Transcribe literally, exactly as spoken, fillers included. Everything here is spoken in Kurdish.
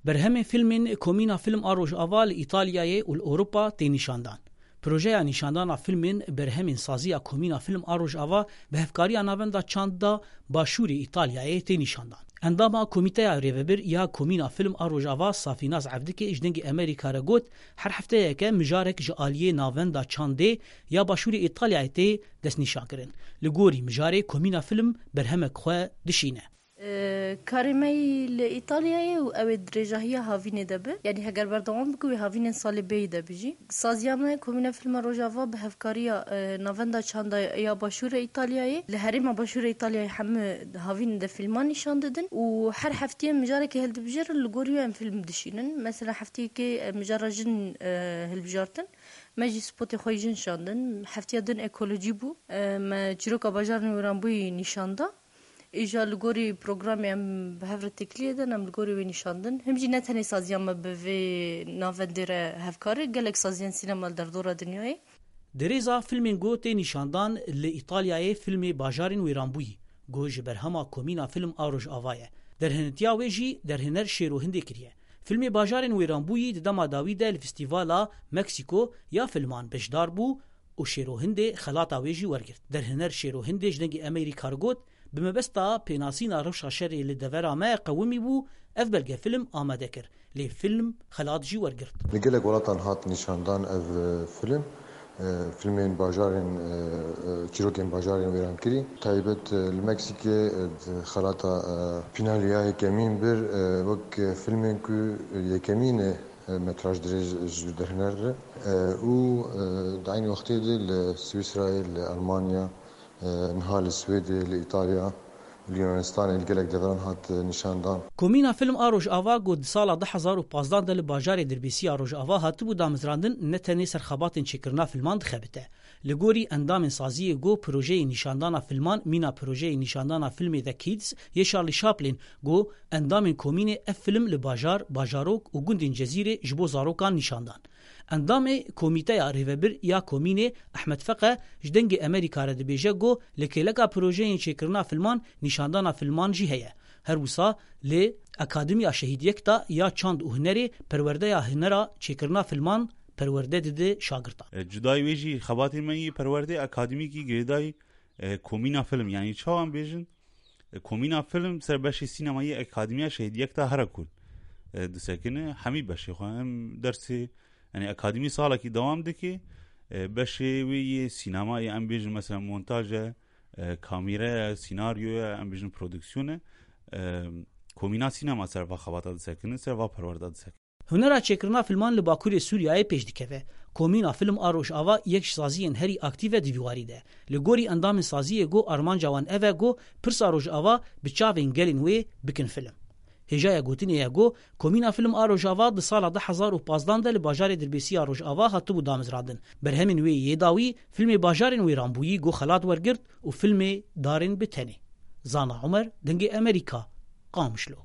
Berhemên fîlmên Komîna Fîlm a Rojava li Îtalyayê û li Ewropa tê nîşandan. Projeya nîşandana fîlmên berhemên saziya Komîna Fîlm a Rojava bi hevkariya Navenda Çanda Başûrê Îtalyayê tê nîşandan. Endama Komîteya Rêvebir ya Komîna Fîlm a Rojava Safînaz Evdikê ji Dengê Amerîka re got, her hefteyeke mijarek ji aliyê Navenda Çandê ya Başûrê Îtalyayê tê destnîşankirin. Li gorî mijarê Komîna Fîlm berhemek xwe dişîne. Karê me yî li Îtalyayê û ew ê dirêjahiya havînê de bi. Yanî heger berdewam bike wê havînên salê bêyî de bi jî. Saziya me Komîna Fîlma Rojava bi hevkariya, e, Navenda Çanda ya Başûrê Îtalyayê, li herêma Başûrê Îtalyayê hemû havînên de fîlman nîşan didin û her heftiyê mijarekê hildibijêrin, li gorî wê em fîlm dişînin. Mesela heftiyekê, e, mijara jin, e, hilbijartin. Me jî spotê xwe yî jin şandin. Heftiya din ekolojî bû. E, me çîroka bajarên wêranbûyî nîşan da. Îja li gorî programê em bi hev re têkiliyê din, em li gorî wê nîşandin. Him jî ne tenê saziya me bi vê navendê re hevkar e, gelek saziyên sînema li derdora dinyayê. Di rêza filmên ku tê nîşandan li Îtalyayê filmê Bajarên Wêranbûyî, ku ji berhema Komîna Fîlm a Rojava ye. Derhinitiya wê jî derhêner Şêro Hindê kiriye. Filmê Bajarên Wêranbûyî di dema dawî de li Festîvala Meksîko ya Filman beşdar bû û Şêro Hindê xelata wê jî wergirt. Derhêner Şêro Hindê ji Dengê Amerîka re got, bi mebesta pênasîna rewşa şerê li devera me qewimî bû, ev belgefîlm amade kir. Lê fîlm xelat jî wergirt. Li gelek welatan hat nîşandan ev, e, fîlm. E, fîlmên bajarên, e, e, çîrokên bajarên wêrankirî. Taybet, e, li Meksîkê, e, di xelata, e, Pinalya yekemîn bir, e, wek, e, fîlmên ku yekemîn e, e, metraj dirêj ji derhêner re. E, û, e, di eynî wextê de li Swîsrayê, li Almanya, e, niha li Swêdê, li Îtalya, li Yunanistanê, li gelek deveran hat, e, nîşandan. Komîna Fîlm a Rojava ku di sala du hezar û pazdeh de li bajarê Dirbêsî ya Rojava hatibû damezrandin, ne tenê ser xebatên çêkirina fîlman dixebite. Li gorî endamên saziyê ku projeyê nîşandana fîlman mîna projeyê nîşandana fîlmê The Kids yê Charlie Chaplin ku endamên komînê ev fîlm li bajar, bajarok û gundên Cezîrê ji bo zarokan nîşandan. Endamê Komîteya Rêvebir ya Komînê Ehmed Feqe ji Dengê Amerîka re dibêje ku li kêleka projeyên çêkirina fîlman nîşandana fîlman jî heye. Her wisa li Akademiya Şehîd Yekta ya Çand û Hunerê perwerdeya hunera çêkirina fîlman perwerde dide şagirtan. E, cudayî wê jî xebatê me yî perwerdê akademîkî girêdayî, e, Komîna Fîlm, yanî çawa em bêjin, e, Komîna Fîlm ser beşê sînemayî Akademiya Şehîd Yekta here ku, e, disekine, hemî beşê xwe em dersê, yanî akademî salekî dewam dike, e, beşê wê yê sînemayê em bêjin mesela montaj e, e, kamîre ye, sînaryo ye, em bêjin prodüksiyon e, e, Komîna Sînema ser va xebata disekine, ser va perwerda disekine. Hunera çêkirina filman li Bakurê Sûriyeyê pêş dikeve. Komîna Film a Rojava yek ji saziyên herî aktîv e di vî warî de. Li gorî endamên saziyê ku armanca wan ev e ku pirsa Rojava bi çavên gelên wê bikin film. Hêjaya gotinê ye ku Komîna Film a Rojava di sala du hezar û pazdeh de li bajarê Dirbêsî ya Rojava hatibû damezrandin. Berhemên wê yê dawî filmê Bajarên Wêranbûyî ku xelat wergirt û filmê Darên bi Tenê. Zana Umer, Dengê Amerîka, Qamişlo.